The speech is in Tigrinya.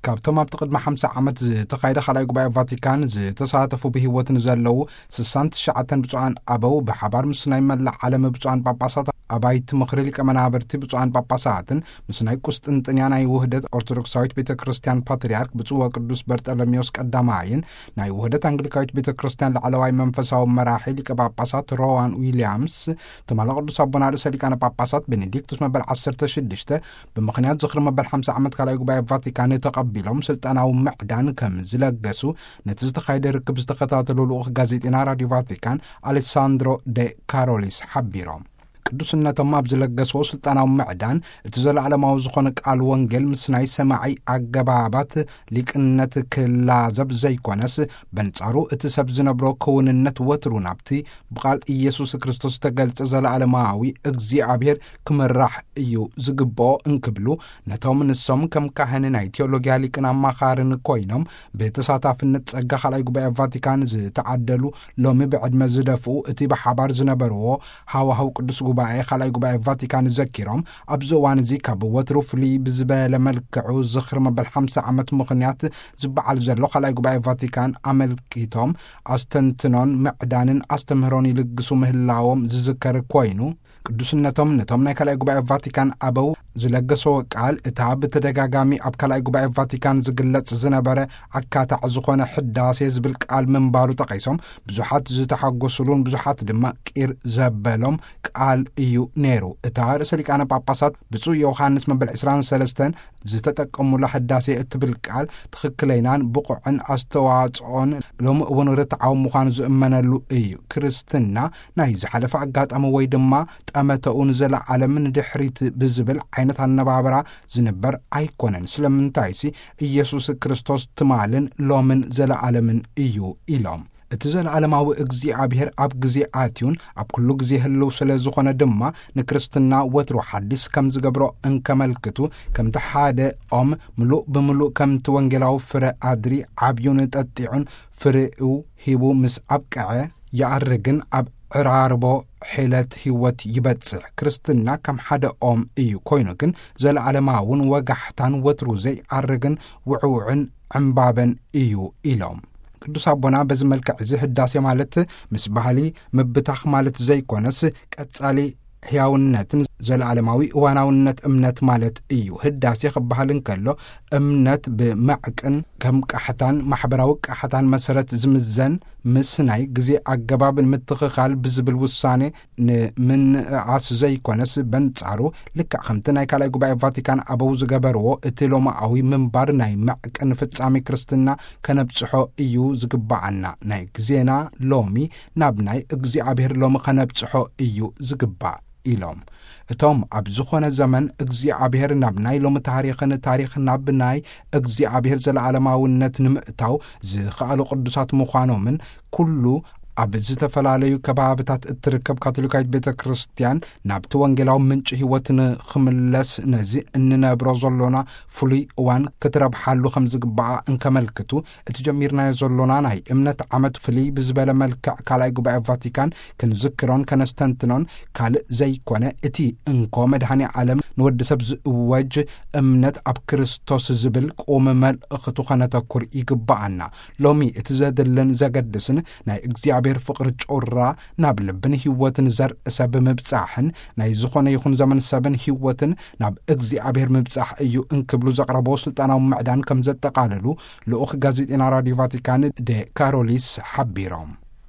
ካብቶም ኣብቲ ቅድሚ ሓምሳ ዓመት ዝተኻየደ ካልኣይ ጉባኤ ቫቲካን ዝተሳተፉ ብህይወት ንዘለዉ ስሳን ትሽዓተን ብፁዓን ኣበው ብሓባር ምስ ናይ መላእ ዓለም ብፁዓን ጳጳሳት ኣባይቲ ምኽሪ ሊቀ መናብርቲ ብፁዓን ጳጳሳትን ምስ ናይ ቁስጥንጥንያ ናይ ውህደት ኦርቶዶክሳዊት ቤተ ክርስቲያን ፓትርያርክ ብፁዕ ወቅዱስ በርጠሎሜዎስ ቀዳማይን ናይ ውህደት ኣንግሊካዊት ቤተ ክርስቲያን ላዕለዋይ መንፈሳዊ መራሒ ሊቀ ጳጳሳት ሮዋን ዊልያምስ ትማሊ ቅዱስ ኣቦና ርእሰ ሊቃነ ጳጳሳት ቤኔዲክቱስ መበል ዓሰርተ ሽዱሽተ ብምኽንያት ዝኽሪ መበል ሓምሳ ዓመት ካልኣይ ጉባኤ ቫቲካን ተቐቢሎም ስልጣናዊ ምዕዳን ከም ዝለገሱ ነቲ ዝተኻየደ ርክብ ዝተኸታተሉ ልኡኽ ጋዜጤና ራዲዮ ቫቲካን ኣሌሳንድሮ ደ ካሮሊስ ሓቢሮም። ቅዱስነቶም ኣብ ዝለገስዎ ስልጣናዊ ምዕዳን እቲ ዘለዓለማዊ ዝኾነ ቃል ወንጌል ምስ ናይ ሰማዒ ኣገባባት ሊቅነት ክላዘብ ዘይኮነስ በንጻሩ እቲ ሰብ ዝነብሮ ክውንነት ወትሩ ናብቲ ብቓል ኢየሱስ ክርስቶስ ዝተገልጸ ዘለዓለማዊ እግዚኣብሔር ክምራሕ እዩ ዝግብኦ እንክብሉ ነቶም ንሶም ከም ካህን ናይ ቴዎሎጊያ ሊቅን ኣማኻርን ኮይኖም ብተሳታፍነት ጸጋ ካልኣይ ጉባኤ ቫቲካን ዝተዓደሉ ሎሚ ብዕድመ ዝደፍኡ እቲ ብሓባር ዝነበርዎ ሃዋህው ቅዱስ ጉባኤ ካልኣይ ጉባኤ ቫቲካን ዘኪሮም ኣብዚ እዋን እዚ ካብ ወትሩ ፍልይ ብዝበለ መልክዑ ዝኽሪ መበል ሓምሳ ዓመት ምኽንያት ዝበዓል ዘሎ ካልኣይ ጉባኤ ቫቲካን ኣመልኪቶም ኣስተንትኖን ምዕዳንን ኣስተምህሮን ይልግሱ ምህላዎም ዝዝከር ኮይኑ ቅዱስነቶም ነቶም ናይ ካልኣይ ጉባኤ ቫቲካን ኣበው ዝለገሰዎ ቃል እታ ብተደጋጋሚ ኣብ ካልኣይ ጉባኤ ቫቲካን ዝግለጽ ዝነበረ ኣካታዕ ዝኾነ ሕዳሴ ዝብል ቃል ምንባሩ ጠቒሶም ብዙሓት ዝተሓጎሱሉን ብዙሓት ድማ ቂር ዘበሎም ቃል እዩ ነይሩ። እታ ርእሰ ሊቃነ ጳጳሳት ብፁዕ ዮሃንስ መበል ዕስራን ሰለስተን ዝተጠቀሙላ ሕዳሴ እትብል ቃል ትኽክለይናን ብቑዕን ኣስተዋጽኦን ሎሚ እውን ርትዓዊ ምዃኑ ዝእመነሉ እዩ። ክርስትና ናይ ዝሓለፈ ኣጋጣሚ ወይ ድማ ጠመተኡ ንዘለዓለም ንድሕሪት ብዝብል ዓይነት ኣነባብራ ዝንበር ኣይኮነን። ስለምንታይሲ ኢየሱስ ክርስቶስ ትማልን ሎምን ዘለዓለምን እዩ ኢሎም። እቲ ዘለዓለማዊ እግዚኣብሔር ኣብ ግዜ ኣትዩን ኣብ ኩሉ ግዜ ህልው ስለ ዝኾነ ድማ ንክርስትና ወትሩ ሓዲስ ከም ዝገብሮ እንከመልክቱ ከምቲ ሓደ ኦም ምሉእ ብምሉእ ከምቲ ወንጌላዊ ፍረ ኣድሪ ዓብዩን ጠጢዑን ፍሬኡ ሂቡ ምስ ኣብቀዐ ይኣርግን ኣብ ዕራርቦ ሒለት ህይወት ይበጽሕ። ክርስትና ከም ሓደ ኦም እዩ ኮይኑ ግን ዘለዓለማውን ወጋሕታን ወትሩ ዘይኣርግን ውዕውዕን ዕምባበን እዩ ኢሎም። ቅዱስ ኣቦና በዚ መልክዕ እዚ ህዳሴ ማለት ምስ ባህሊ ምብታኽ ማለት ዘይኮነስ ቀጻሊ ሕያውነትን ዘለዓለማዊ እዋናውነት እምነት ማለት እዩ። ህዳሴ ክበሃል እንከሎ እምነት ብመዕቅን ከም ቃሕታን ማሕበራዊ ቃሕታን መሰረት ዝምዘን ምስ ናይ ግዜ ኣገባብ ንምትኽኻል ብዝብል ውሳኔ ንምንእኣስ ዘይኮነስ በንጻሩ ልክዕ ከምቲ ናይ ካልኣይ ጉባኤ ቫቲካን ኣበው ዝገበርዎ እቲ ሎማኣዊ ምንባር ናይ መዕቅን ፍጻሜ ክርስትና ከነብጽሖ እዩ ዝግባኣና። ናይ ግዜና ሎሚ ናብ ናይ እግዚኣብሔር ሎሚ ከነብጽሖ እዩ ዝግባእ ኢሎም። እቶም ኣብ ዝኾነ ዘመን እግዚኣብሔር ናብ ናይ ሎሚ ታሪኽን ታሪኽ ናብ ናይ እግዚኣብሔር ዘለዓለማውነት ንምእታው ዝኸኣሉ ቅዱሳት ምዃኖምን ኩሉ ኣብ ዝተፈላለዩ ከባብታት እትርከብ ካቶሊካዊት ቤተ ክርስቲያን ናብቲ ወንጌላዊ ምንጪ ህይወት ንኽምለስ ነዚ እንነብሮ ዘሎና ፍሉይ እዋን ክትረብሓሉ ከም ዝግባኣ እንከመልክቱ እቲ ጀሚርናዮ ዘሎና ናይ እምነት ዓመት ፍልይ ብዝበለ መልክዕ ካልኣይ ጉባኤ ቫቲካን ክንዝክሮን ከነስተንትኖን ካልእ ዘይኮነ እቲ እንኮ መድኃኔ ዓለም ንወዲ ሰብ ዝእወጅ እምነት ኣብ ክርስቶስ ዝብል ቁም መልእኽቱ ከነተኩር ይግባኣና። ሎሚ እቲ ዘድልን ዘገድስን ናይ እግዚኣብሔር ፍቕሪ ጩራ ናብ ልብን ህይወትን ዘርኢ ሰብ ምብጻሕን ናይ ዝኾነ ይኹን ዘመን ሰብን ህይወትን ናብ እግዚኣብሔር ምብጻሕ እዩ እንክብሉ ዘቕረቦ ስልጣናዊ ምዕዳን ከም ዘጠቓለሉ ልኡኽ ጋዜጤና ራዲዮ ቫቲካን ደ ካሮሊስ ሓቢሮም።